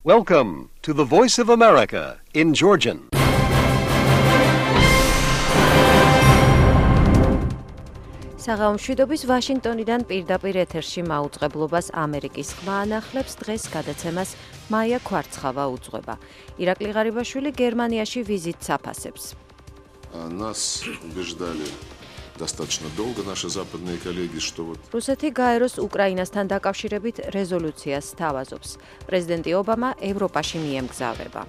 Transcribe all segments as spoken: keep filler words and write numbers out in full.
Welcome to the Voice of America in Georgian. საღამომშვიდობის ვაშინგტონიდან პირდაპირ ეთერში მაუწყებლობას ამერიკის ხმა ანახლებს დღეს გადაცემას მაია ქვარცხავა უძღვება. ირაკლი ღარიბაშვილი გერმანიაში ვიზიტს აფასებს. Нас убеждали достаточно долго наши западные коллеги, что вот რუსეთი გაეროს უკრაინასთან დაკავშირებით რეზოლუციას სთავაზობს. პრეზიდენტი ობამა ევროპაში მიემგზავრება.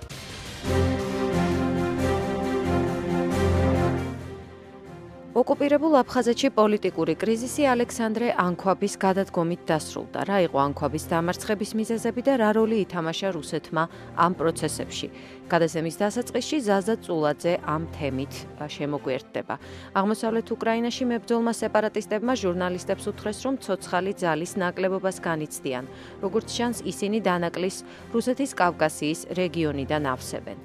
ოკუპირებულ აფხაზეთში პოლიტიკური კრიზისი ალექსანდრე ანქვაბის გადადგომით დასრულდა. რა იყო ანქვაბის დამარცხების მიზეზები და რა როლი ითამაშა რუსეთმა ამ პროცესებში? გადაცემის დასაწყისში ზაზა წულაძე ამ თემით შემოგვიერთდება. აღმოსავლეთ უკრაინაში მებრძოლმა სეპარატისტებმა ჟურნალისტებს უთხრეს, რომ ცოცხალი ძალის ნაკლებობას განიცდიან. როგორც ჩანს, ისინი დანაკლის რუსეთის კავკასიის რეგიონიდან ავსებენ.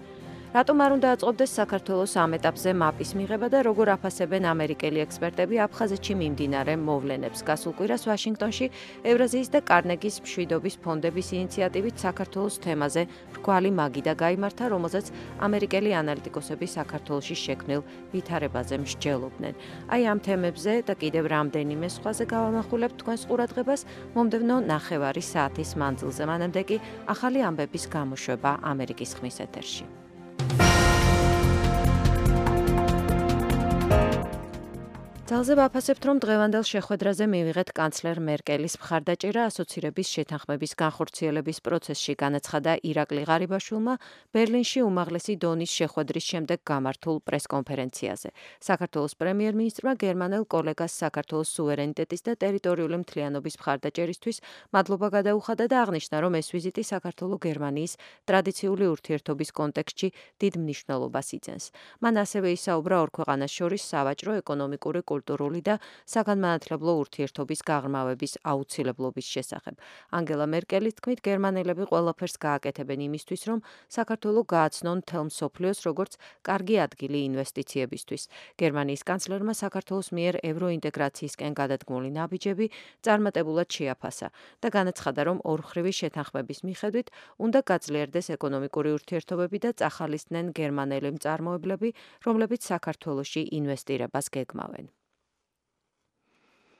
რატომ არ უნდა აწყობდეს საქართველოს ამ ეტაპზე მაპის მიღება და როგორ აფასებენ ამერიკელი ექსპერტები აფხაზეთში მიმდინარე მოვლენებს? გასულ კვირას ვაშინგტონში ევრაზიის და კარნეგის მშვიდობის ფონდების ინიციატივით საქართველოს თემაზე რგვალი მაგიდა გაიმართა, რომელზეც ამერიკელი ანალიტიკოსები საქართველოში შექმნილ ვითარებაზე მსჯელობდნენ. აი ამ თემებზე და კიდევ რამდენიმე სხვაზე გავამახვილებთ თქვენს ყურადღებას მომდევნო ნახევარი საათის მანძილზე. მანამდე კი ახალი ამბების გამოშვება ამერიკის ხმის ეთერში. ძალზე ვაფასებთ, რომ დღევანდელ შეხვედრაზე მივიღეთ კანცლერ მერკელის მხარდაჭერა ასოცირების შეთანხმების განხორციელების პროცესში, განაცხადა ირაკლი ღარიბაშვილმა ბერლინში უმაღლესი დონის შეხვედრის შემდეგ გამართულ პრესკონფერენციაზე. საქართველოს პრემიერ-მინისტრმა გერმანელ კოლეგას საქართველოს სუვერენიტეტის და ტერიტორიული მთლიანობის მხარდაჭერისთვის მადლობა გადაუხადა და აღნიშნა, რომ ეს ვიზიტი საქართველო-გერმანიის ტრადიციული ურთიერთობის კონტექსტში დიდ მნიშვნელობას იძენს. მან ასევე ისაუბრა ორ ქვეყანას შორის სავაჭრო, ეკონომიკური, კულტურული და საგანმანათლებლო ურთიერთობის გაღრმავების აუცილებლობის შესახებ. ანგელა მერკელის თქმით, გერმანელები ყველაფერს გააკეთებენ იმისთვის, რომ საქართველო გააცნონ მთელ მსოფლიოს როგორც კარგი ადგილი ინვესტიციებისთვის. გერმანიის კანცლერმა საქართველოს მიერ ევროინტეგრაციისკენ გადადგმული ნაბიჯები წარმატებულად შეაფასა და განაცხადა, რომ ორმხრივი შეთანხმების მიხედვით უნდა გაძლიერდეს ეკონომიკური ურთიერთობები და წახალისდნენ გერმანელი მწარმოებლები, რომლებიც საქართველოში ინვესტირებას გეგმავენ.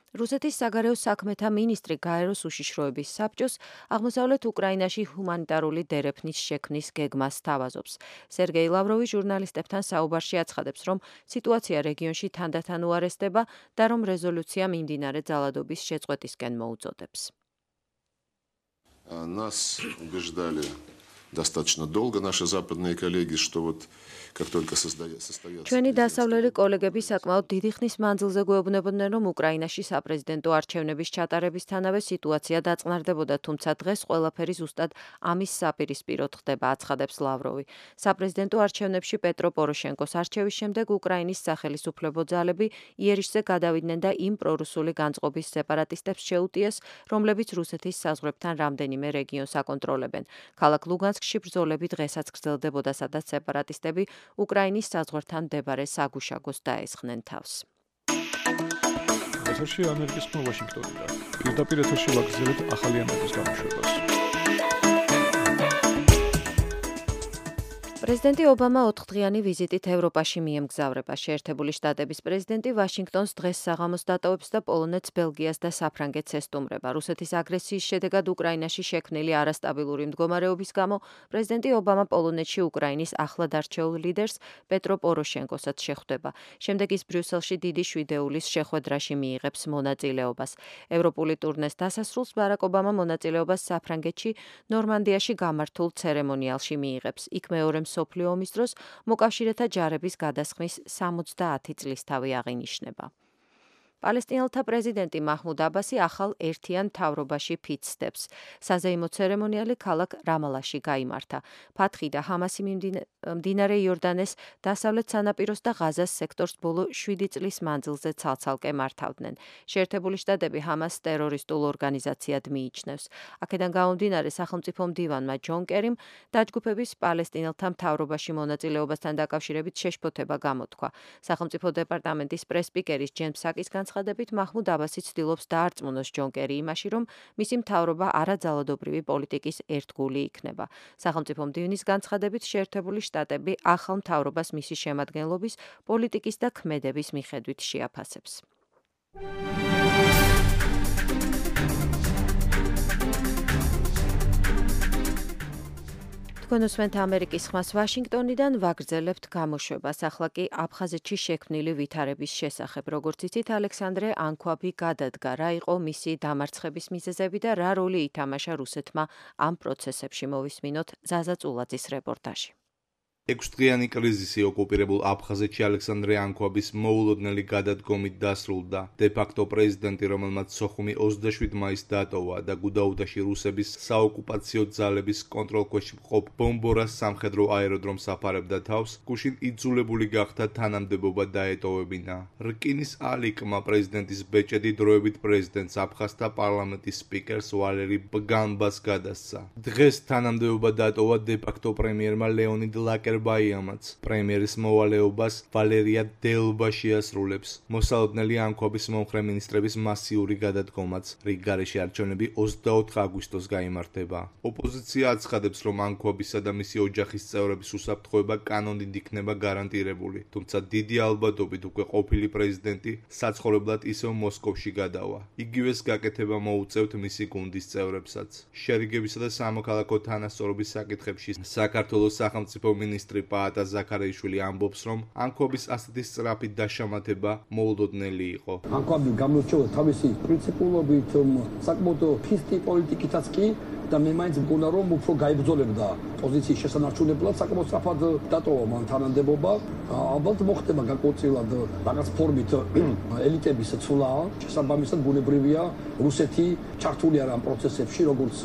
რუსეთის საგარეო საქმეთა მინისტრი გაეროს უშიშროების საბჭოს აღმოსავლეთ უკრაინაში ჰუმანიტარული დერეფნის შექმნის გეგმას სთავაზობს. სერგეი ლავროვი ჟურნალისტებთან საუბარში აცხადებს, რომ სიტუაცია რეგიონში თანდათან უარესდება და რომ რეზოლუცია მიმდინარე ძალადობის შეწყვეტისკენ მოუწოდებს. Нас убеждали достаточно долго наши западные коллеги, что вот как только состоятся ჩვენი დასავლელი კოლეგები საკმაოდ დიდი ხნის მანძილზე გვეუბნებოდნენ, რომ უკრაინაში საპრეზიდენტო არჩევნების ჩატარებისთანავე სიტუაცია დაწყნარდებოდა, თუმცა დღეს ყველაფერი ზუსტად ამის საპირისპიროდ ხდება, აცხადებს ლავროვი. საპრეზიდენტო არჩევნებში პეტრო პოროშენკოს არჩევის შემდეგ უკრაინის სახელისუფლებო ძალები იერიშზე გადავიდნენ და იმ პრორუსული განწყობის სეპარატისტებს შეუტიეს, რომლებიც რუსეთის საზღვრებთან რამდენიმე რეგიონს აკონტროლებენ. ქალაქ ლუგანსკში ბრძოლები დღესაც გრძელდებოდა, სადაც სეპარატისტები უკრაინის საზღვართან მდებარე საგუშაგოს დაესხნენ თავს. ეთერში ამერიკის ხმა ვაშინგტონიდან. პირდაპირ ეთერში ვაგრძელებთ ახალი ამბების გამოშვებას. პრეზიდენტი ობამა ოთხდღიანი ვიზიტით ევროპაში მიემგზავრება. შეერთებული შტატების პრეზიდენტი ვაშინგტონს დღეს საღამოს დატოვებს და პოლონეთს, ბელგიას და საფრანგეთს ესტუმრება. რუსეთის აგრესიის შედეგად უკრაინაში შექმნილი არასტაბილური მდგომარეობის გამო პრეზიდენტი ობამა პოლონეთში უკრაინის ახლად არჩეულ ლიდერს პეტრო პოროშენკოსაც შეხვდება. შემდეგ ის ბრიუსელში დიდი შვიდეულის შეხვედრაში მიიღებს მონაწილეობას. ევროპული ტურნეს დასასრულს ბარაკ ობამა მონაწილეობას საფრანგეთში ნორმანდიაში გამართულ ცერემონიალში მიიღებს. იქ მეორე მსოფლიო ომის დროს მოკავშირეთა ჯარების გადასხმის სამოცდაათი წლისთავი აღინიშნება. პალესტინელთა პრეზიდენტი მაჰმუდ აბასი ახალ ერთიან მთავრობაში ფიცდებს. საზეიმო ცერემონიალი ქალაქ რამალაში გაიმართა. ფათხი და ჰამასი მდინარე იორდანეს დასავლეთ სანაპიროს და ღაზას სექტორს ბოლო შვიდი წლის მანძილზე ცალ-ცალკე მართავდნენ. შეერთებული შტატები ჰამასს ტერორისტულ ორგანიზაციად მიიჩნევს. აქედან გამომდინარე სახელმწიფო მდივანმა ჯონ კერიმ დაჯგუფების პალესტინელთა მთავრობაში მონაწილეობასთან დაკავშირებით შეშფოთება გამოთქვა. სახელმწიფო დეპარტამენტის პრესპიკერის ჯენ ფსაკის განცხადებით მაჰმუდ აბასი ცდილობს დაარწმუნოს ჯონ კერი იმაში, რომ მისი მთავრობა არაძალადობრივი პოლიტიკის ერთგული იქნება. სახელმწიფო მდივნის განცხადებით შეერთებული შტატები ახალ მთავრობას მისი შემადგენლობის, პოლიტიკის და ქმედების მიხედვით შეაფასებს. თქვენ უსმენთ ამერიკის ხმას ვაშინგტონიდან, ვაგრძელებთ გამოშვებას. ახლა კი აფხაზეთში შექმნილი ვითარების შესახებ. როგორც იცით, ალექსანდრე ანქვაბი გადადგა. რა იყო მისი დამარცხების მიზეზები და რა როლი ითამაშა რუსეთმა ამ პროცესებში, მოვისმინოთ ზაზა წულაძის რეპორტაჟი. ექვსდღიანი კრიზისი ოკუპირებულ აფხაზეთში ალექსანდრე ანქვაბის მოულოდნელი გადადგომით დასრულდა. დე-ფაქტო პრეზიდენტი, რომელმაც სოხუმი ოცდაშვიდ მაისს დატოვა და გუდაუთაში რუსების საოკუპაციო ძალების კონტროლქვეშ მყოფ ბომბორას სამხედრო აეროდრომს აფარებდა თავს, გუშინ იძულებული გახდა თანამდებობა დაეტოვებინა. რკინის ალიკმა პრეზიდენტის ბეჭედი დროებით პრეზიდენტს აფხაზთა პარლამენტის სპიკერს ვალერი ბგანბას გადასცა. დღეს თანამდებობა დატოვა დე-ფაქტო პრემიერმა ლეონიდ ლაკერ ბაიამაც. პრემიერის მოვალეობას ვალერია დელბა შეასრულებს. მოსალოდნელი ანქვაბის მომხრე მინისტრების მასიური გადადგომაც. რიგ გარეშე არჩევნები ოცდაოთხ აგვისტოს გაიმართება. ოპოზიცია აცხადებს, რომ ანქვაბისა და მისი ოჯახის წევრების უსაფრთხოება კანონით იქნება გარანტირებული, თუმცა დიდი ალბათობით უკვე ყოფილი პრეზიდენტი საცხოვრებლად ისევ მოსკოვში გადავა. იგივეს გაკეთება მოუწევთ მისი გუნდის წევრებსაც. შერიგებისა და სამოქალაქო თანასწორობის საკითხებში საქართველოს სახელმწიფო მინისტრი პაატა ზაქარაიშვილი ამბობს, რომ ანქვაბის ასეთი სწრაფი დაშამათება მოულოდნელი იყო. ანქვაბი გამოირჩევა თავისი პრინციპულობით, საკმაოდ ფისტი პოლიტიკითაც კი და მე მაინც მგონა, რომ უფრო გაიბრძოლებდა პოზიციის შესანარჩუნებლად, საკმაოდ სწრაფად დატოვა მან თანამდებობა. ალბათ მოხდება განკუთვნილად რაღაც ფორმით ელიტების ცვლა, შესაბამისად ბუნებრივია რუსეთი ჩართული არა ამ პროცესებში, როგორც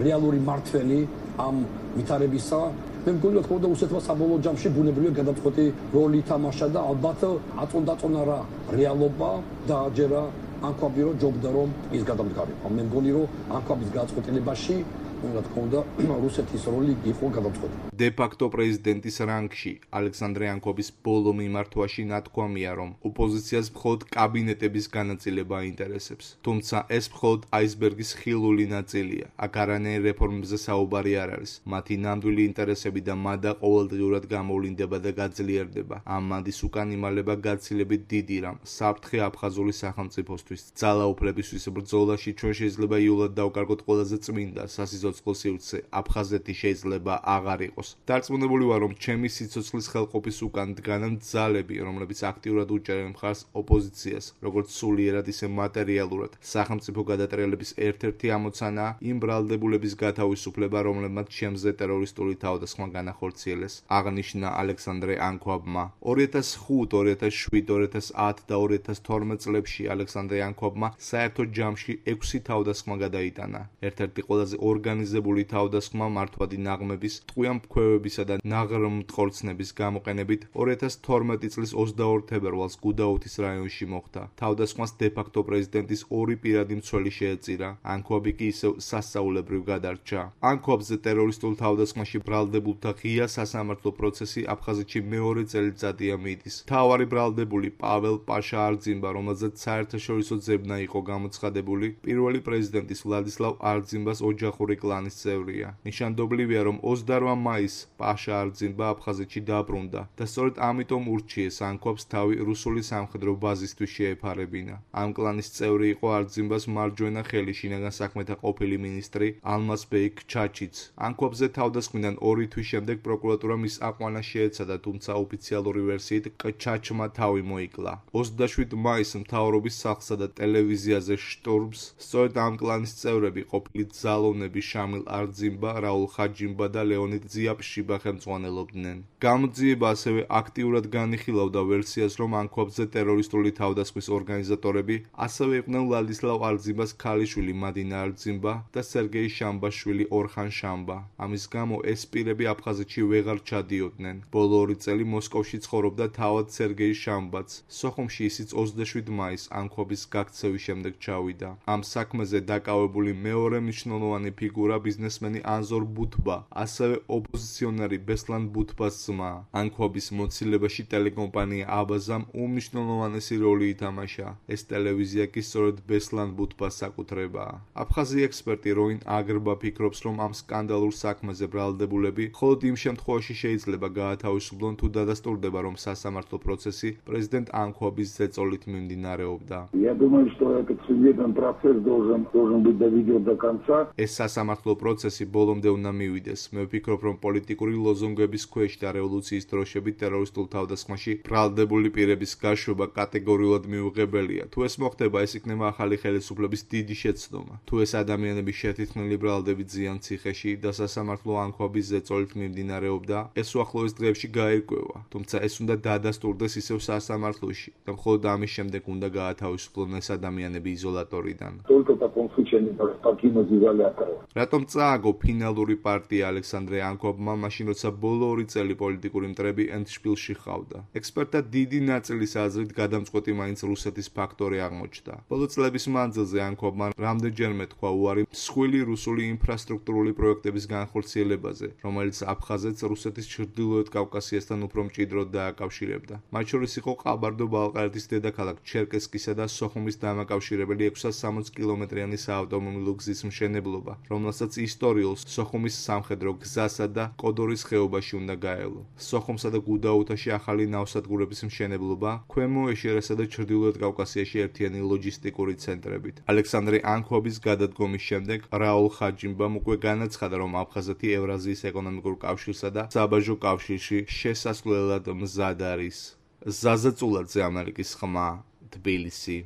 რეალური მართველი ამ ვითარებისა. მე მგონი, რომ თქო რუსეთმა საბოლოო ჯამში ბუნებრივია გადამწყვეტი როლი ითამაშა და ალბათ აწონდაწონა რა რეალობა და აჯერა ანქვაბი, რომ ჯობდა რომ ის გადამდგარიყო. მე მგონი, რომ ანქვაბის გადაწყვეტილებაში რა თქმა უნდა რუსეთის როლი იყო გადამწყვეტი. დე-ფაქტო პრეზიდენტის რანგში ალექსანდრე ანქვაბის ბოლო მიმართვაში ნათქვამია, რომ ოპოზიციას მხოლოდ კაბინეტების განაწილება აინტერესებს. თუმცა ეს მხოლოდ აისბერგის ხილული ნაწილია. აქ არანაირ რეფორმებზე საუბარი არ არის. მათი ნამდვილი ინტერესები და მადა ყოველდღიურად გამოვლინდება და გაძლიერდება. ამ მადის უკან იმალება გაცილებით დიდი რამ საფრთხე აფხაზური სახელმწიფოსთვის. ძალაუფლებისთვის ბრძოლაში ჩვენ შეიძლება იულად დავკარგოთ ყველაზე წმინდა სასიცოცხლო სივრცე. აფხაზეთი შეიძლება აღარ იყოს. დარწმუნებული ვარ, რომ ჩემი სიცოცხლის ხელყოფის უკან დგანან ძალები, რომლებიც აქტიურად უჭერენ მხარს ოპოზიციას, როგორც სულიერად, ისე მატერიალურად. სახელმწიფო გადატრიალების ერთ-ერთი ამოცანაა იმ ბრალდებულების გათავისუფლება, რომლებმაც ჩემზე ტერორისტული თავდასხმა განახორციელეს, აღნიშნა ალექსანდრე ანქვაბმა. ორი ათას ხუთ, ორი ათას შვიდ, ორი ათას ათ და ორი ათას თორმეტ წლებში ალექსანდრე ანქვაბმა საერთო ჯამში ექვსი თავდასხმა გადაიტანა. ერთ-ერთი ყველაზე ორგანიზებული თავდასხმა მართვადი ნაღმების, ტყვია მქვევებისა და ნაღრმთქორცნების გამოყენებით ორი ათას თორმეტი წლის ოცდაორ თებერვალს გუდაუთის რაიონში მოხდა. თავდასხმას დე-ფაქტო პრეზიდენტის ორი პირადი მცველი შეეწირა. ანქვაბი კი ისევ სასწაულებრივ გადარჩა. ანქვაბზე ტერორისტულ თავდასხმაში ბრალდებულთა ღია სასამართლო პროცესი აფხაზეთში მეორე წელიწადია მიდის. მთავარი ბრალდებული პაվել პაშა არძიმბა, რომელზეც საერთაშორისო ძებნა იყო გამოცხადებული, პირველი პრეზიდენტის ვლადისლავ არძიმბას ოჯახური კლანის წევრია. ნიშანდობლივია, რომ ოცდაოთხ მაისს პაშა არძიმბა აფხაზეთში დაბრუნდა და სწორედ ამიტომ ურჩიეს ანქვაბს თავი რუსული სამხედრო ბაზისთვის შეეფარებინა. ამ კლანის წევრი იყო არძიმბას მარჯვენა ხელი, შინაგან საქმეთა ყოფილი მინისტრი ალმაზბეი ჩაჩიც. ანქვაბზე თავდასხმიდან ორი თვის შემდეგ პროკურატურა მის აყვანას შეეცადა, თუმცა ოფიციალური ვერსიით ჩაჩმა თავი მოიკლა. ოცდაშვიდ მაისს მთავრობის სახლსა და ტელევიზიაზე შტურმს სწორედ ამ კლანის წევრები, ყოფილი ძალოვნები შამილ არძიმბა, რაულ ხაჯიმბა და ლეონიდ ზიაპშიბა ხელმძღვანელობდნენ. გამოძიება ასევე აქტიურად განიხილავდა ვერსიას, რომ ანქვაბზე ტერორისტული თავდასხმის ორგანიზატორები ასევე იყვნენ ვლადისლავ არძიმბას ქალიშვილი მადინა არძიმბა და სერგეი შამბაშვილი ორხან შამბა. ამის გამო ეს პირები აფხაზეთში ვეღარ ჩადიოდნენ. ბოლო ორი წელი მოსკოვში ცხოვრობდა თავად სერგეი შამბაც. სოხუმში ისიც ოცდაშვიდ მაისს ანქვაბის გაქცევის შემდეგ ჩავიდა. ამ საქმეზე დაკავებული მეორე მნიშვნელოვანი ფიგურა ფიგურა ბიზნესმენი ანზორ ბუთბა, ასევე ოპოზიციონერი ბესლან ბუთბას ძმა. ანქვაბის მოცილებაში ტელეკომპანია აბაზამ უმნიშვნელოვანესი როლი ითამაშა. ეს ტელევიზია კი სწორედ ბესლან ბუთბას საკუთრებაა. აფხაზი ექსპერტი როინ აგრბა ფიქრობს, რომ ამ სკანდალურ საქმეზე ბრალდებულები მხოლოდ იმ შემთხვევაში შეიძლება გაათავისუფლონ, თუ დადასტურდება, რომ სასამართლო პროცესი პრეზიდენტ ანქვაბის ზეწოლით მიმდინარეობდა. Я думаю, что этот судебный процесс должен должен быть доведен до конца. ეს სასამართლო პროცესი ბოლომდე უნდა მივიდეს. მე ვფიქრობ, რომ პოლიტიკური ლოზუნგების ქვეშ და რევოლუციის დროშებით ტერორისტულ თავდასხმაში ბრალდებული პირების გაშვება კატეგორიულად მიუღებელია. თუ ეს მოხდება, ეს იქნება ახალი ხელისუფლების დიდი შეცდომა. თუ ეს ადამიანები შეთითქმული ბრალდებით ზიან ციხეში და სასამართლო ანქვაბის ზეწოლით მიმდინარეობდა, ეს უახლოეს დღეებში გაირკვევა. თუმცა ეს უნდა დადასტურდეს ისევ სასამართლოში და მხოლოდ ამის შემდეგ უნდა გაათავისუფლონ ეს ადამიანები იზოლატორიდან. Только в таком случае они должны покинуть изолятор. რატომ წააგო ფინალური პარტია ალექსანდრე ანქვაბმა, მაშინ როცა ბოლო ორი წელი პოლიტიკური მტრები ენდშპილში ჰყავდა? ექსპერტთა დიდი ნაწილის აზრით გადამწყვეტი მაინც რუსეთის ფაქტორი აღმოჩნდა. ბოლო წლების მანძილზე ანქვაბმა რამდენჯერმე თქვა უარი მსხვილი რუსული ინფრასტრუქტურული პროექტების განხორციელებაზე, რომელიც აფხაზეთს რუსეთის ჩრდილოეთ კავკასიასთან უფრო მჭიდროდ დააკავშირებდა. მათ შორის იყო ყაბარდო-ბალყარეთის დედაქალაქ ჩერკესკისა და სოხუმის დამაკავშირებელი ექვსას სამოცი კილომეტრიანი საავტომობილო გზის მშენებლობა, რომელსაც ისტორიულ სოხუმის სამხედრო გზასა და კოდორის ხეობაში უნდა გაელო. სოხუმსა და გუდაუთაში ახალი ნავსადგურების მშენებლობა, ქვემო ეშერესა და ჩრდილოეთ კავკასიაში ერთიანი ლოჯისტიკური ცენტრებით. ალექსანდრე ანქვაბის გადადგომის შემდეგ რაულ ხაჯიმბამ უკვე განაცხადა, რომ აფხაზეთი ევრაზიის ეკონომიკურ კავშირსა და საბაჟო კავშირში შესასვლელად მზად არის. ზაზა წულაძე, ამერიკის ხმა, თბილისი.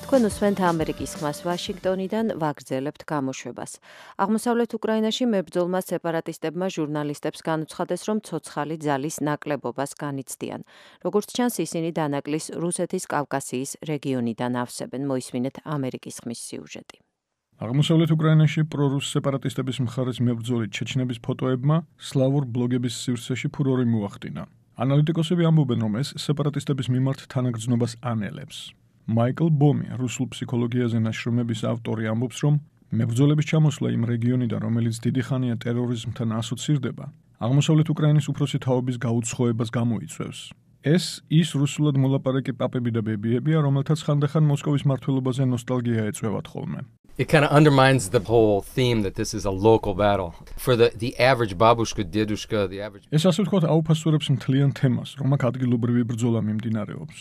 თქვენ უსმენთ ამერიკის ხმას ვაშინგტონიდან, ვაგრძელებთ გამოშვებას. აღმოსავლეთ უკრაინაში მებრძოლმა სეპარატისტებმა ჟურნალისტებს განუცხადეს, რომ ცოცხალი ძალის ნაკლებობას განიცდიან. როგორც ჩანს, ისინი დანაკლის რუსეთის კავკასიის რეგიონიდან ავსებენ. მოისმინეთ ამერიკის ხმის სიუჟეტი. აღმოსავლეთ უკრაინაში პრორუს სეპარატისტების მხარეს მებრძოლი ჩეჩნების ფოტოებმა სლავურ ბლოგების სივრცეში ფურორი მოახდინა. ანალიტიკოსები ამბობენ, რომ ეს სეპარატისტების მიმართ თანაგრძნობას ანელებს. მაიკლ ბომი, რუსულ ფსიქოლოგიაზე ნაშრომების ავტორი, ამბობს, რომ მებრძოლების ჩამოსვლა იმ რეგიონიდან, რომელიც დიდი ხანია ტერორიზმთან ასოცირდება, აღმოსავლეთ უკრაინის უფროსი თაობის გაუცხოებას გამოიწვევს. ეს ის რუსულად მოლაპარაკე პაპები და ბებიებია, რომელთაც ხანდახან მოსკოვის მმართველობაზე ნოსტალგია ეწვევათ ხოლმე. It kind of undermines the whole theme that this is a local battle. For the, the average babushka, dedushka, the average... ეს ასე ვთქვათ აუფასურებს მთლიან თემას, რომ აქ ადგილობრივი ბრძოლა მიმდინარეობს.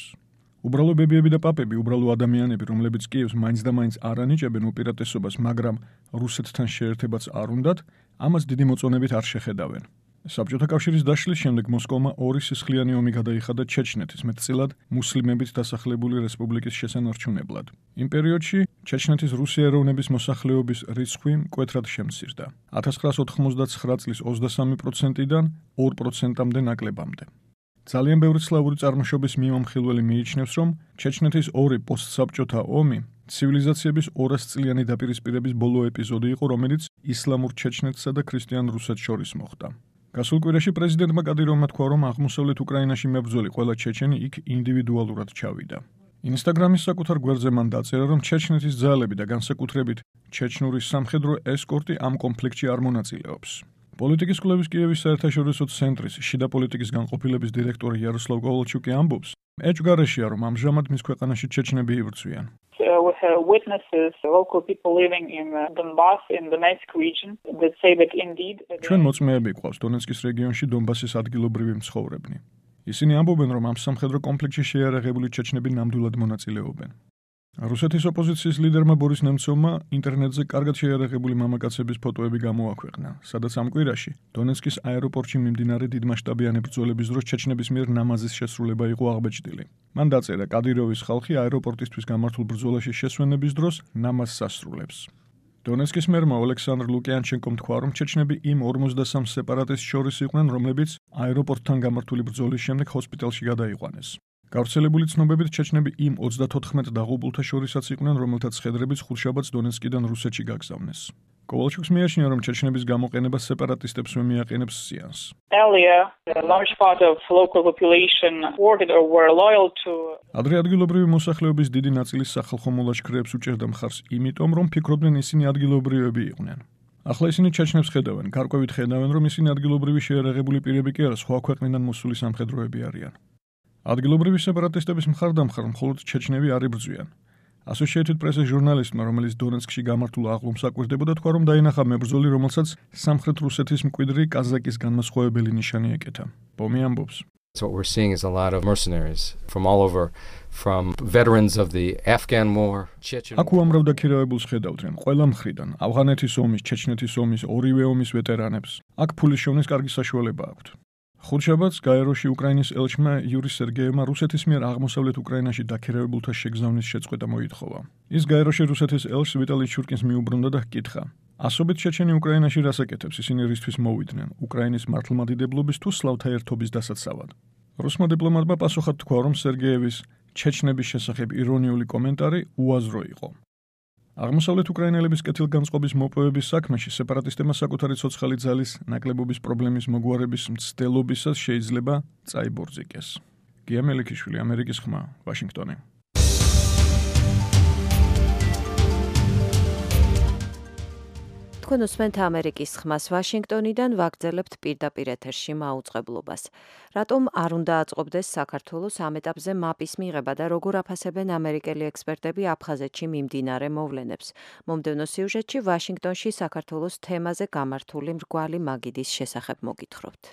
უბრალო ბებიები და პაპები, უბრალო ადამიანები, რომლებიც კიევს მაინც და მაინც არ ანიჭებენ უპირატესობას, მაგრამ რუსეთთან შეერთებაც არ უნდათ, ამას დიდი მოწონებით არ შეხედავენ. საბჭოთა კავშირის დაშლის შემდეგ მოსკოვმა ორი სისხლიანი ომი გადაიხადა ჩეჩნეთის, მეტწილად მუსლიმებით დასახლებული რესპუბლიკის შესანარჩუნებლად. იმ პერიოდში ჩეჩნეთის რუსი ეროვნების მოსახლეობის რიცხვი მკვეთრად შემცირდა. ათას ცხრაას ოთხმოცდაცხრა წლის ოცდასამი პროცენტიდან ორ პროცენტამდე ნაკლებამდე. ძალიან ბევრი სლავური წარმოშობის მიმამხილველი მიიჩნევს, რომ ჩეჩნეთის ორი პოსტსაბჭოთა ომი ცივილიზაციების ორასწლიანი დაპირისპირების ბოლო ეპიზოდი იყო, რომელიც ისლამურ ჩეჩნეთსა და ქრისტიან რუსეთს შორის მოხდა. გასულ კვირაში პრეზიდენტმა კადიროვმა თქვა, რომ აღმოსავლეთ უკრაინაში მებრძოლი ყველა ჩეჩენი იქ ინდივიდუალურად ჩავიდა. ინსტაგრამის საკუთარ გვერდზე მან დაწერა, რომ ჩეჩნეთის ძალები და განსაკუთრებით ჩეჩნური სამხედრო ესკორტი ამ კონფლიქტში არ მონაწილეობს. პოლიტიკის კვლევის კიევის საერთაშორისო ცენტრის შიდა პოლიტიკის განყოფილების დირექტორი იაროსლავ კოვალჩუკი ამბობს, ეჭვგარეშეა, რომ ამჟამად მის ქვეყანაში ჩეჩნები იბრძვიან. We have witnesses, local people living in Donbass, in the Donetsk region, that say that indeed... ჩვენ მოწმეები გვყავს დონეცკის რეგიონში დონბასის ადგილობრივი მცხოვრებნი. ისინი ამბობენ, რომ ამ სამხედრო კონფლიქტში შეიარაღებული ჩეჩნები ნამდვილად მონაწილეობენ. რუსეთის ოპოზიციის ლიდერმა ბორის ნემცოვმა ინტერნეტზე კარგად შეიარაღებული მამაკაცების ფოტოები გამოაქვეყნა, სადაც ამ კვირაში დონეცკის აეროპორტში მიმდინარე დიდმასშტაბიანი ბრძოლების დროს ჩეჩნების მიერ ნამაზის შესრულება იყო აღბეჭდილი. მან დაწერა, კადიროვის ხალხი აეროპორტისთვის გამართულ ბრძოლაში შესვენების დროს ნამაზს ასრულებს. დონეცკის მერმა ოლექსანდრ ლუკიანჩენკომ თქვა, რომ ჩეჩნები იმ ორმოცდასამ სეპარატისტს შორის იყვნენ, რომლებიც აეროპორტთან გამართული ბრძოლის შემდეგ ჰოსპიტალში გადაიყვანეს. გავრცელებული ცნობებით ჩეჩნები იმ ოცდათოთხმეტ დაღუპულთა შორისაც იყვნენ, რომელთაც ხედრებით ხუთშაბათს დონეცკიდან რუსეთში გაგზავნეს. კოვალჩუკს მიაჩნია, რომ ჩეჩნების გამოყენება სეპარატისტებს მიაყენებს ზიანს. Earlier, a large part of local population supported or were loyal to ადრე ადგილობრივი მოსახლეობის დიდი ნაწილი სახალხო მოლაშქრეებს უჭერდა მხარს, იმიტომ რომ ფიქრობდნენ ისინი ადგილობრივები იყვნენ. ახლა ისინი ჩეჩნებს ხედავენ, გარკვევით ხედავენ, რომ ისინი ადგილობრივი შეერაღებული პირები კი არა, სხვა ქვეყნიდან მოსული სამხედროები არიან. ადგილობრივი სეპარატისტების მხარდამხარ მხოლოდ ჩეჩნები არ იბრძვიან. Associated Press-ის ჟურნალისტმა, რომელიც დონეცკში გამართულ აღლუმს აკვირდებოდა, თქვა, რომ დაინახა მებრძოლი, რომელსაც სამხრეთ რუსეთის მკვიდრი კაზაკის განმასხვავებელი ნიშანი ეკეთა. ბომი ამბობს. So what we're seeing is a lot of mercenaries from all over, from veterans of the Afghan war, Chechen. აქ უამრავ დაქირავებულს ხედავდნენ, ყველა მხრიდან, ავღანეთის ომის, ჩეჩნეთის ომის, ორივე ომის ვეტერანებს. აქ ფულის შოვნის კარგი საშუალება აქვთ. ხუთშაბათს გაეროში უკრაინის ელჩმა იური სერგეევმა რუსეთის მიერ აღმოსავლეთ უკრაინაში დაქირავებულთა შეგზავნის შეწყვეტა მოითხოვა. ის გაეროში რუსეთის ელჩს ვიტალი ჩურკინს მიუბრუნდა და ჰკითხა: ასობით ჩეჩენი უკრაინაში რას ეკეთებს, ისინი რისთვის მოვიდნენ, უკრაინის მართლმადიდებლობის თუ სლავთა ერთობის დასაცავად? რუსმა დიპლომატმა პასუხად თქვა, რომ სერგეევის ჩეჩნების შესახებ ირონიული კომენტარი უაზრო იყო. აღმოსავლეთ უკრაინელების კეთილგანწყობის მოპოვების საქმეში სეპარატისტებმა საკუთარი ცოცხალი ძალის ნაკლებობის პრობლემის მოგვარების მცდელობისას შეიძლება წაიბორძიკეს. გია მელიქიშვილი, ამერიკის ხმა, ვაშინგტონი. თქვენ უსმენთ ამერიკის ხმას ვაშინგტონიდან, ვაგრძელებთ პირდაპირ ეთერში მაუწყებლობას. რატომ არ უნდა აწყობდეს საქართველოს ამ ეტაპზე მაპის მიღება და როგორ აფასებენ ამერიკელი ექსპერტები აფხაზეთში მიმდინარე მოვლენებს? მომდევნო სიუჟეტში ვაშინგტონში საქართველოს თემაზე გამართული მრგვალი მაგიდის შესახებ მოგითხრობთ.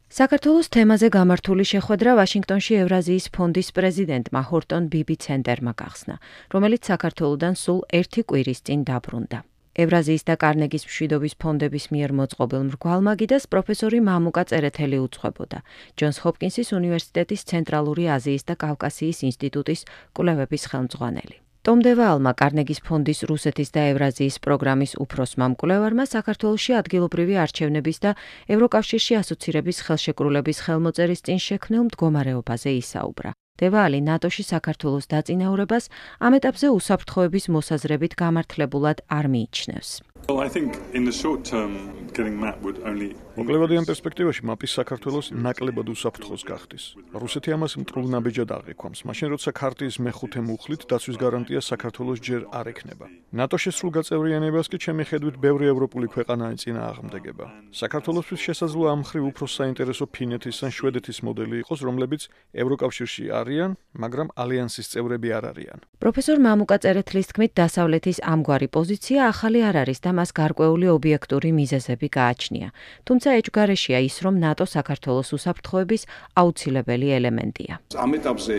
საქართველოს თემაზე გამართული შეხვედრა ვაშინგტონში ევრაზიის ფონდის პრეზიდენტმა ჰორტონ ბიბი ცენტერმა გახსნა, რომელიც საქართველოდან სულ ერთი კვირის წინ დაბრუნდა. ევრაზიის და კარნეგის მშვიდობის ფონდების მიერ მოწყობილ მრგვალ მაგიდას პროფესორი მამუკა წერეთელი უძღვებოდა, ჯონს ჰოპკინსის უნივერსიტეტის ცენტრალური აზიის და კავკასიის ინსტიტუტის კვლევების ხელმძღვანელი. ტომ დევალმა, კარნეგის ფონდის რუსეთის და ევრაზიის პროგრამის უფროსმა მკვლევარმა საქართველოში ადგილობრივი არჩევნების და ევროკავშირში ასოცირების ხელშეკრულების ხელმოწერის წინ შექმნილ მდგომარეობაზე ისაუბრა. დევალი ნატოში საქართველოს დაწინაურებას ამ ეტაპზე უსაფრთხოების მოსაზრებით გამართლებულად არ მიიჩნევს. Well, I think in the short term, getting map would only მოკლევადიან პერსპექტივაში მაპის საქართველოს ნაკლებად უსაფრთხოს გახდის. რუსეთი ამას მტრულ ნაბიჯად აღიქვამს, მაშინ როცა ქარტიის მეხუთე მუხლით დაცვის გარანტია საქართველოს ჯერ არ ექნება. ნატოში სრულ გაწევრიანებას კი ჩემი ხედვით ბევრი ევროპული ქვეყანა ეწინააღმდეგება. საქართველოსთვის შესაძლოა ამ მხრივ უფრო საინტერესო ფინეთის ან შვედეთის მოდელი იყოს, რომლებიც ევროკავშირში არიან, მაგრამ ალიანსის წევრები არ არიან. პროფესორ მამუკა წერეთლის თქმით, დასავლეთის ამგვარი პოზიცია ახალი არ არის და მას გარკვეული ობიექტური მიზეზები გააჩნია. თუმცა ეჭვგარეშია ის, რომ ნატო საქართველოს უსაფრთხოების აუცილებელი ელემენტია. ამ ეტაპზე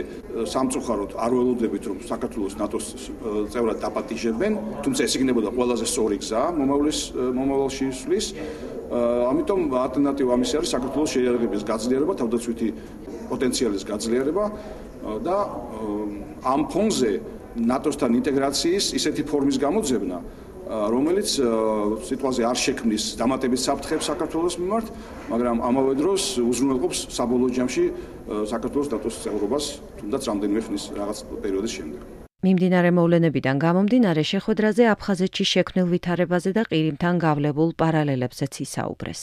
სამწუხაროდ არ ველოდებით, რომ საქართველოს ნატოს წევრად დაპატიჟებენ, თუმცა ეს იქნებოდა ყველაზე სწორი გზა მომავლის მომავალში სვლის. ამიტომ ალტერნატივა ამის არის საქართველოს შეიარაღების გაძლიერება, თავდაცვითი პოტენციალის გაძლიერება და ამ ფონზე ნატოსთან ინტეგრაციის ისეთი ფორმის გამოძებნა, რომელიც სიტუაცია არ შექმნის დამატებით საფრთხეებს საქართველოს მიმართ, მაგრამ ამავე დროს უზრუნველყოფს საბოლოო ჯამში საქართველოს ნატოს წევრობას, თუნდაც რამდენიმე ხნის რაღაც პერიოდის შემდეგ. მიმდინარე მოვლენებიდან გამომდინარე შეხვედრაზე აფხაზეთში შექმნილ ვითარებაზე და ყირიმთან გავლებულ პარალელებზეც ისაუბრეს.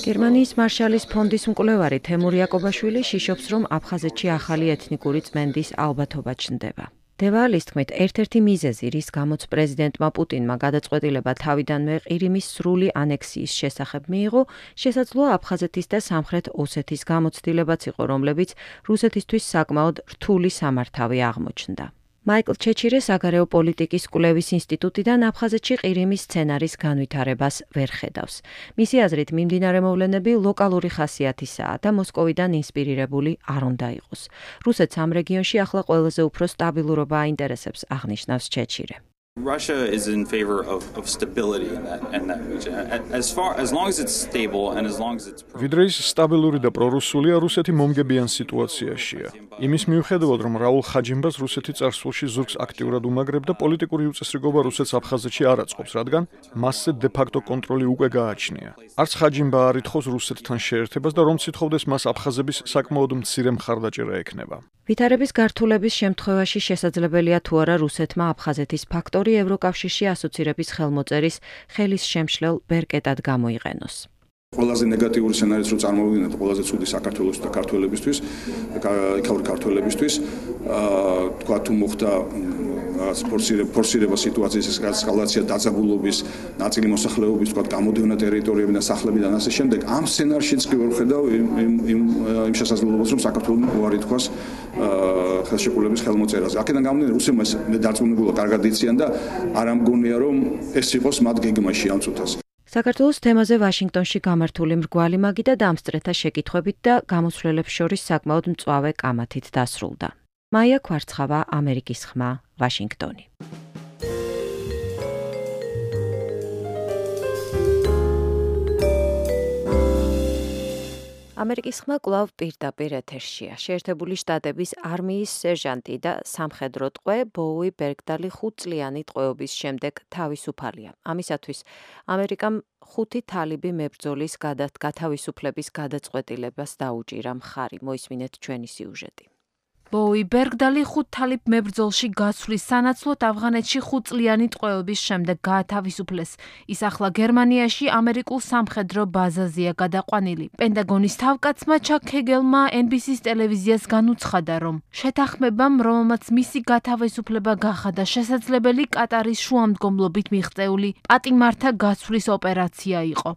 გერმანიის მარშალის ფონდის მკვლევარი თემურ იაკობაშვილი შიშობს, რომ აფხაზეთში ახალი ეთნიკური წმენდის ალბათობა ჩნდება. დევალის თქმით, ერთ-ერთი მიზეზი, რის გამოც პრეზიდენტმა პუტინმა გადაწყვეტილება თავიდანვე ყირიმის სრული ანექსიის შესახებ მიიღო, შესაძლოა აფხაზეთის და სამხრეთ ოსეთის გამოცდილებაც იყო, რომლებიც რუსეთისთვის საკმაოდ რთული სამართავი აღმოჩნდა. მაიკლ ჩეჩირე საგარეო პოლიტიკის კვლევის ინსტიტუტიდან აფხაზეთში ყირიმის სცენარის განვითარებას ვერ ხედავს. მისი აზრით, მიმდინარე მოვლენები ლოკალური ხასიათისაა და მოსკოვიდან ინსპირირებული არ უნდა იყოს. რუსეთს ამ რეგიონში ახლა ყველაზე უფრო სტაბილურობა აინტერესებს, აღნიშნავს ჩეჩირე. Russia is in favor of, of stability in that, in that region. As far as long as it's stable and as long as it's ვიდრე ის სტაბილური და პრორუსულია, რუსეთი მომგებიან სიტუაციაშია. იმის მიუხედავად, რომ რაულ ხაჯიმბას რუსეთი წარსულში ზურგს აქტიურად უმაგრებდა, პოლიტიკური უწესრიგობა რუსეთს აფხაზეთში არ აწყობს, რადგან მასზე დე-ფაქტო კონტროლი უკვე გააჩნია. არც ხაჯიმბა არ ითხოვს რუსეთთან შეერთებას და რომ ცითხოვდეს მას აფხაზების საკმაოდ მცირე მხარდაჭერა ექნება. ვითარების გართულების შემთხვევაში შესაძლებელია თუ არა რუსეთმა აფხაზეთის ფაქტორი ევროკავშირში ასოცირების ხელმოწერის ხელის შემშლელ ბერკეტად გამოიყენოს. ყველაზე ნეგატიური სცენარიც რო წარმოვიდგინოთ, ყველაზე ცუდი საქართველოს და ქართველებისთვის, იქაური ქართველებისთვის, აა თქვა თუ მოხდა რაღაც ფორსირება სიტუაციის ესკალაცია დაძაბულობის, ნაწილი მოსახლეობის, თქვა გამოდევნა ტერიტორიებიდან, სახლებიდან ასე შემდეგ, ამ სცენარშიც კი ვერ ხედავ იმ იმ იმ შესაძლებლობას, რომ საქართველოს უარი თქვას ხელშეკრულების ხელმოწერაზე. აქედან გამომდინარე, რუსებმა ეს დარწმუნებულა კარგად იციან და არ ამგონია, რომ ეს იყოს მათ გეგმაში ამ წუთას. საქართველოს თემაზე ვაშინგტონში გამართული მრგვალი მაგი და დამსწრეთა შეკითხვებით და გამოსვლელებს შორის საკმაოდ მწვავე კამათით დასრულდა. მაია ქვარცხავა, ამერიკის ხმა, ვაშინგტონი. ამერიკის ხმა კვლავ პირდაპირ ეთერშია. შეერთებული შტატების არმიის სერჟანტი და სამხედრო ტყვე ბოუი ბერგდალი ხუთწლიანი ტყვეობის შემდეგ თავისუფალია. ამისათვის ამერიკამ ხუთი თალიბი მებრძოლის გათავისუფლების გადაწყვეტილებას დაუჭირა მხარი. მოისმინეთ ჩვენი სიუჟეტი. ბოუი ბერგდალი ხუთ თალიბ მებრძოლში გაცვლის სანაცვლოდ ავღანეთში ხუთწლიანი ტყვეობის შემდეგ გაათავისუფლეს. ის ახლა გერმანიაში ამერიკულ სამხედრო ბაზაზეა გადაყვანილი. პენტაგონის თავკაცმა ჩაკ ჰეგელმა ენ ბი სის ტელევიზიას განუცხადა, რომ შეთანხმებამ, რომელმაც მისი გათავისუფლება გახადა შესაძლებელი, კატარის შუამდგომლობით მიღწეული პატიმართა გაცვლის ოპერაცია იყო.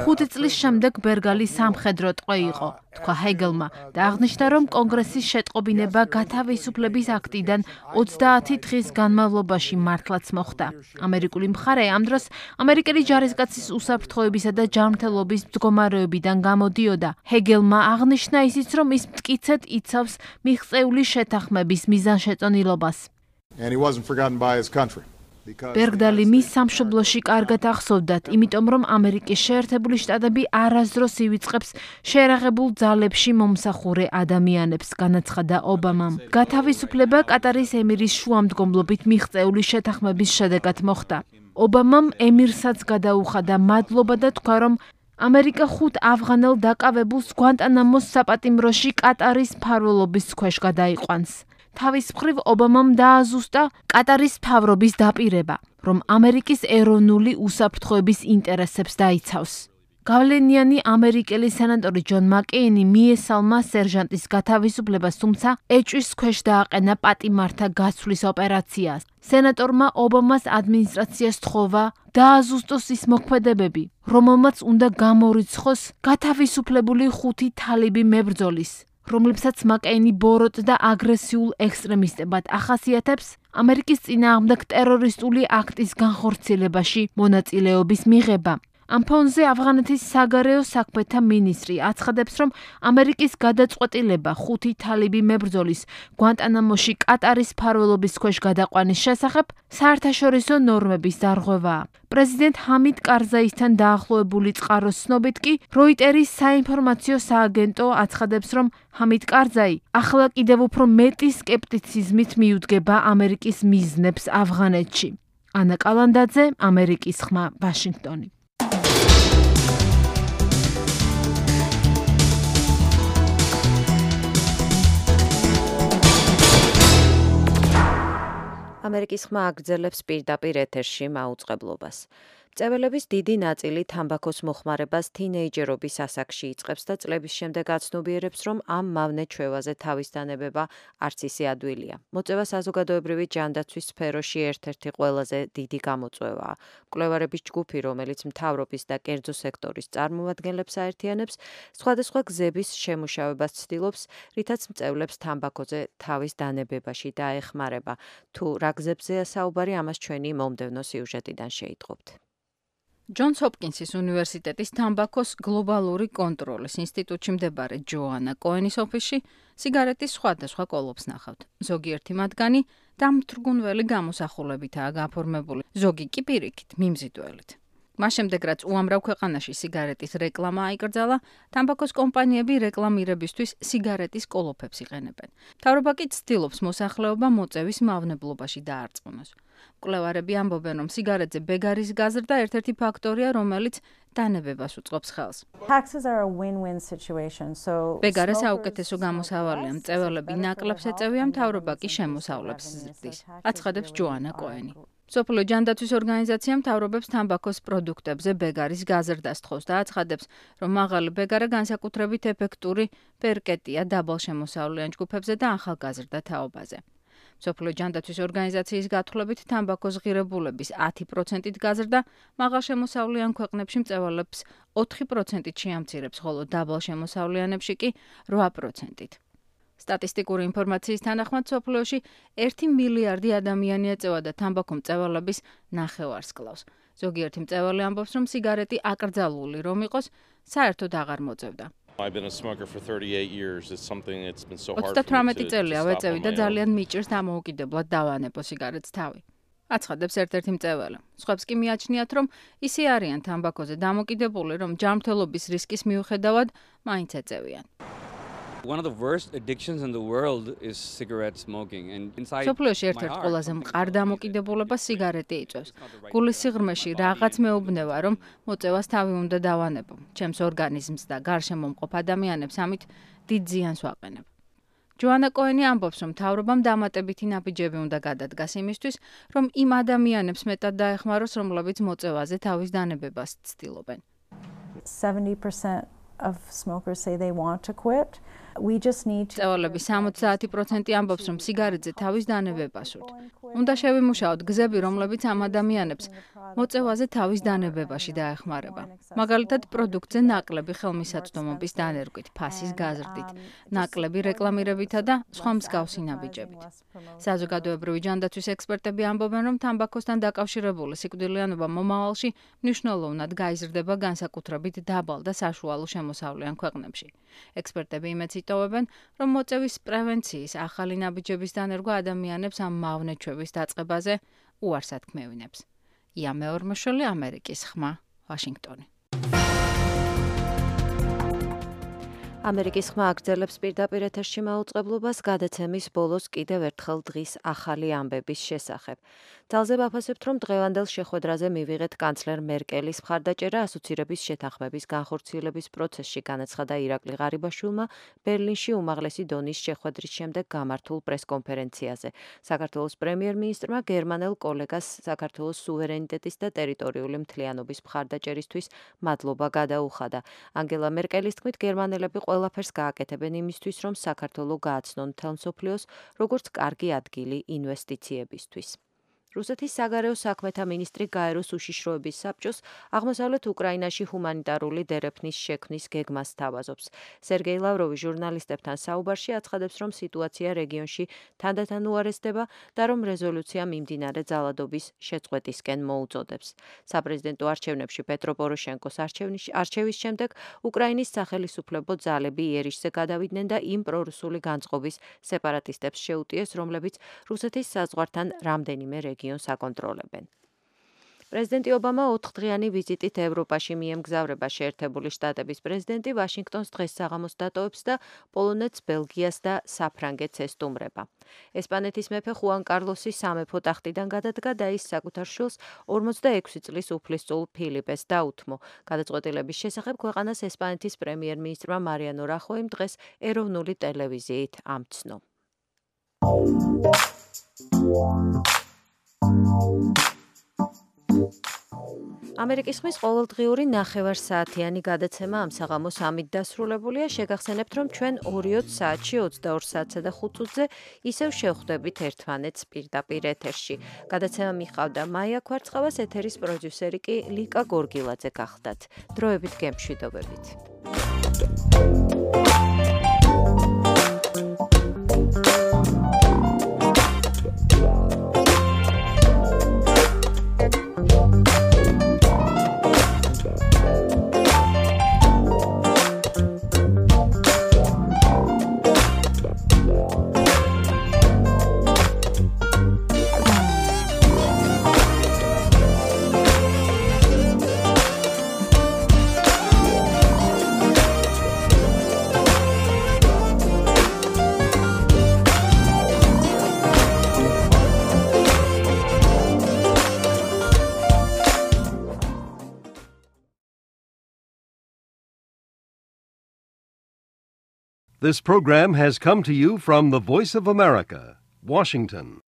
ხუთი წლის შემდეგ ბერგალი სამხედრო ტყვე იყო. თქვა ჰეგელმა და აღნიშნა, რომ კონგრესის შეტყობინება გათავისუფლების აქტიდან ოცდაათი დღის განმავლობაში მართლაც მოხდა. ამერიკული მხარე ამ დროს ამერიკელი ჯარისკაცის უსაფრთხოებისა და ჯანმრთელობის მდგომარეობიდან გამოდიოდა. ჰეგელმა აღნიშნა ისიც, რომ ის მტკიცედ იცავს მიღწეული შეთანხმების მიზანშეწონილობას. ბერგდალი მის სამშობლოში კარგად ახსოვდათ, იმიტომ რომ ამერიკის შეერთებული შტატები არასდროს ივიწყებს შეერაღებულ ძალებში მომსახურე ადამიანებს, განაცხადა ობამამ. გათავისუფლება კატარის ემირის შუამდგომლობით მიღწეული შეთანხმების შედეგად მოხდა. ობამამ ემირსაც გადაუხადა მადლობა და თქვა, რომ ამერიკა ხუთ ავღანელ დაკავებულს გვანტანამოს საპატიმროში კატარის მფარველობის ქვეშ გადაიყვანს. თავის მხრივ ობამამ დააზუსტა კატარის მთავრობის დაპირება, რომ ამერიკის ეროვნული უსაფრთხოების ინტერესებს დაიცავს. გავლენიანი ამერიკელი სენატორი ჯონ მაკეინი მიესალმა სერჟანტის გათავისუფლებას, თუმცა ეჭვის ქვეშ დააყენა პატიმართა გაცვლის ოპერაციას. სენატორმა ობამას ადმინისტრაციას თხოვა დააზუსტოს ის მოქმედებები, რომელმაც უნდა გამორიცხოს გათავისუფლებული ხუთი თალიბი მებრძოლის, რომლებსაც მაკეინი ბოროტ და აგრესიულ ექსტრემისტებად ახასიათებს ამერიკის წინააღმდეგ ტერორისტული აქტის განხორციელებაში მონაწილეობის მიღება. ამ ფონზე ავღანეთის საგარეო საქმეთა მინისტრი აცხადებს, რომ ამერიკის გადაწყვეტილება ხუთი თალიბი მებრძოლის გვანტანამოში კატარის მფარველობის ქვეშ გადაყვანის შესახებ საერთაშორისო ნორმების დარღვევაა. პრეზიდენტ ჰამიდ კარზაისთან დაახლოებული წყაროს ცნობით კი როიტერის საინფორმაციო სააგენტო აცხადებს, რომ ჰამიდ კარზაი ახლა კიდევ უფრო მეტი სკეპტიციზმით მიუდგება ამერიკის მიზნებს ავღანეთში. ანა კალანდაძე, ამერიკის ხმა, ვაშინგტონი. ამერიკის ხმა აგრძელებს პირდაპირ ეთერში მაუწყებლობას. მწეველების დიდი ნაწილი თამბაქოს მოხმარებას თინეიჯერობის ასაკში იწყებს და წლების შემდეგ აცნობიერებს, რომ ამ მავნე ჩვევაზე თავის დანებება არც ისე ადვილია. მოწევა საზოგადოებრივი ჯანდაცვის სფეროში ერთ-ერთი ყველაზე დიდი გამოწვევაა. მკვლევარების ჯგუფი, რომელიც მთავრობის და კერძო სექტორის წარმომადგენლებს აერთიანებს, სხვადასხვა გზების შემუშავებას ცდილობს, რითაც მწევლებს თამბაქოზე თავის დანებებაში დაეხმარება. თუ რა გზებზეა საუბარი, ამას ჩვენი მომდევნო სიუჟეტიდან შეიტყობთ. ჯონს ჰოპკინსის უნივერსიტეტის თამბაქოს გლობალური კონტროლის ინსტიტუტში მდებარე ჯოანა კოენის ოფისში სიგარეტის სხვადასხვა კოლოფს ნახავთ. ზოგიერთი მათგანი დამთრგუნველი გამოსახულებითაა გაფორმებული, ზოგი კი პირიქით, მიმზიდველით. მას შემდეგ, რაც უამრავ ქვეყანაში სიგარეტის რეკლამა აიკრძალა, თამბაქოს კომპანიები რეკლამირებისთვის სიგარეტის კოლოფებს იყენებენ. მთავრობა კი ცდილობს მოსახლეობა მოწევის მავნებლობაში დაარწმუნოს. მკვლევარები ამბობენ, რომ სიგარეტზე ბეგარის გაზრდა ერთ-ერთი ფაქტორია, რომელიც დანებებას უწყობს ხელს. ბეგარე საუკეთესო გამოსავალია, მწეველები ნაკლებს ეწევიან, მთავრობა კი შემოსავლებს ზრდის, აცხადებს ჯოანა კოენი. სოფლო ჯანდაცვის ორგანიზაცია მთავრობებს თამბაქოს პროდუქტებზე ბეგარის გაზრდას თხოვს და აცხადებს, რომ მაღალი ბეგარა განსაკუთრებით ეფექტური პერკეტია დაბალშემოსავლიან ჯგუფებზე და ახალგაზრდა თაობაზე. სოფლო ჯანდაცვის ორგანიზაციის გათვლებით თამბაქოს ღირებულების ათი პროცენტით გაზრდა მაღალშემოსავლიან ქვეყნებში მწევალებს ოთხი პროცენტით შეამცირებს, ხოლო დაბალშემოსავლიანებში კი რვა პროცენტით. სტატისტიკური ინფორმაციის თანახმად სოფლიოში ერთი მილიარდი ადამიანი ეწევა და თამბაქო მწევალების ნახევარს კლავს. ზოგიერთი მწევალი ამბობს, რომ სიგარეტი აკრძალული რომ იყოს, საერთოდ აღარ მოწევდა. ოცდათვრამეტი წელია ვეწევი და ძალიან მიჭირს დამოუკიდებლად დავანებო სიგარეტს თავი. აცხადებს ერთ-ერთი მწევალი. სხვებს კი მიაჩნიათ, რომ ისე არიან თამბაქოზე დამოკიდებული, რომ ჯანმრთელობის რისკის მიუხედავად მაინც ეწევიან. One of the worst addictions in the world is cigarette smoking and inside სოფლიოში ერთ-ერთი ყველაზე მყარ დამოკიდებულებას სიგარეტი იწვევს. გულის სიღრმეში რაღაც მეუბნება, რომ მოწევას თავი უნდა დავანებო. ჩემს ორგანიზმს და გარშემო მყოფ ადამიანებს ამით დიდ ზიანს ვაყენებ. ჯოანა კოენი ამბობს, რომ მთავრობამ დამატებითი ნაბიჯები უნდა გადადგას იმისთვის, რომ იმ ადამიანებს მეტად დაეხმაროს, რომლებიც მოწევაზე თავის დანებებას ცდილობენ. seventy percent of smokers say they want to quit. We just need to წევალების სამოცდაათი პროცენტი ამბობს, რომ სიგარეტზე თავის დანებება სურთ. უნდა შევიმუშაოთ გზები, რომლებიც ამ ადამიანებს მოწევაზე თავის დანებებაში დაეხმარება. მაგალითად, პროდუქტზე ნაკლები ხელმისაწვდომობის დანერგვით, ფასის გაზრდით, ნაკლები რეკლამირებითა და სხვა მსგავსი ნაბიჯებით. საზოგადოებრივი ჯანდაცვის ექსპერტები ამბობენ, რომ თამბაქოსთან დაკავშირებული სიკვდილიანობა მომავალში მნიშვნელოვნად გაიზრდება განსაკუთრებით დაბალ და საშუალო შემოსავლიან ქვეყნებში. ექსპერტები იმეც იტოვებენ, რომ მოწევის პრევენციის ახალი ნაბიჯების დანერგვა ადამიანებს ამ მავნეჩვევის დაწყებაზე უარს ათქმევინებს. ია მეორმოშვილი, ამერიკის ხმა, ვაშინგტონი. ამერიკის ხმა აგრძელებს პირდაპირ ეთერში მაუწყებლობას გადაცემის ბოლოს კიდევ ერთხელ დღის ახალი ამბების შესახებ. ძალზე ვაფასებთ, რომ დღევანდელ შეხვედრაზე მივიღეთ კანცლერ მერკელის მხარდაჭერა ასოცირების შეთანხმების განხორციელების პროცესში, განაცხადა ირაკლი ღარიბაშვილმა ბერლინში უმაღლესი დონის შეხვედრის შემდეგ გამართულ პრესკონფერენციაზე. საქართველოს პრემიერ-მინისტრმა გერმანელ კოლეგას საქართველოს სუვერენიტეტის და ტერიტორიული მთლიანობის მხარდაჭერისთვის მადლობა გადაუხადა. ანგელა მერკელის თქმით, გერმანელები ყველაფერს გააკეთებენ იმისთვის, რომ საქართველო გააცნონ მთელ მსოფლიოს როგორც კარგი ადგილი ინვესტიციებისთვის. რუსეთის საგარეო საქმეთა მინისტრი გაეროს უშიშროების საბჭოს აღმოსავლეთ უკრაინაში ჰუმანიტარული დერეფნის შექმნის გეგმას სთავაზობს. სერგეი ლავროვი ჟურნალისტებთან საუბარში აცხადებს, რომ სიტუაცია რეგიონში თანდათან უარესდება და რომ რეზოლუცია მიმდინარე ძალადობის შეწყვეტისკენ მოუწოდებს. საპრეზიდენტო არჩევნებში პეტრო პოროშენკოს არჩევის შემდეგ უკრაინის სახელისუფლებო ძალები იერიშზე გადავიდნენ და იმ პრორუსული განწყობის სეპარატისტებს შეუტიეს, რომლებიც რუსეთის საზღვართან რამდენიმე რეგიონს აკონტროლებენ. პრეზიდენტი ობამა ოთხდღიანი ვიზიტით ევროპაში მიემგზავრება. შეერთებული შტატების პრეზიდენტი ვაშინგტონს დღეს საღამოს დატოვებს და პოლონეთს, ბელგიას და საფრანგეთს ესტუმრება. ესპანეთის მეფე ხუან კარლოსი სამეფო ტახტიდან გადადგა და ის საკუთარ შვილს ორმოცდაექვსი წლის უფლისწულ ფილიპეს დაუთმო. გადაწყვეტილების შესახებ ქვეყანას ესპანეთის პრემიერ-მინისტრმა მარიანო რახოიმ დღეს ეროვნული ტელევიზიით ამცნო. ამერიკის ხმის ყოველდღიური ნახევარსაათიანი გადაცემა ამ საღამოს ამით დასრულებულია. შეგახსენებთ, რომ ჩვენ ორი საათში ოცდაორ საათსა და ხუთ წუთზე ისევ შევხვდებით ერთმანეთს პირდაპირ ეთერში. გადაცემა მიყავდა მაია ქვარცხავას, ეთერის პროდიუსერი კი ლიკა გორგილაძე გახლდათ. დროებით გემშვიდობებით. This program has come to you from the Voice of America, Washington.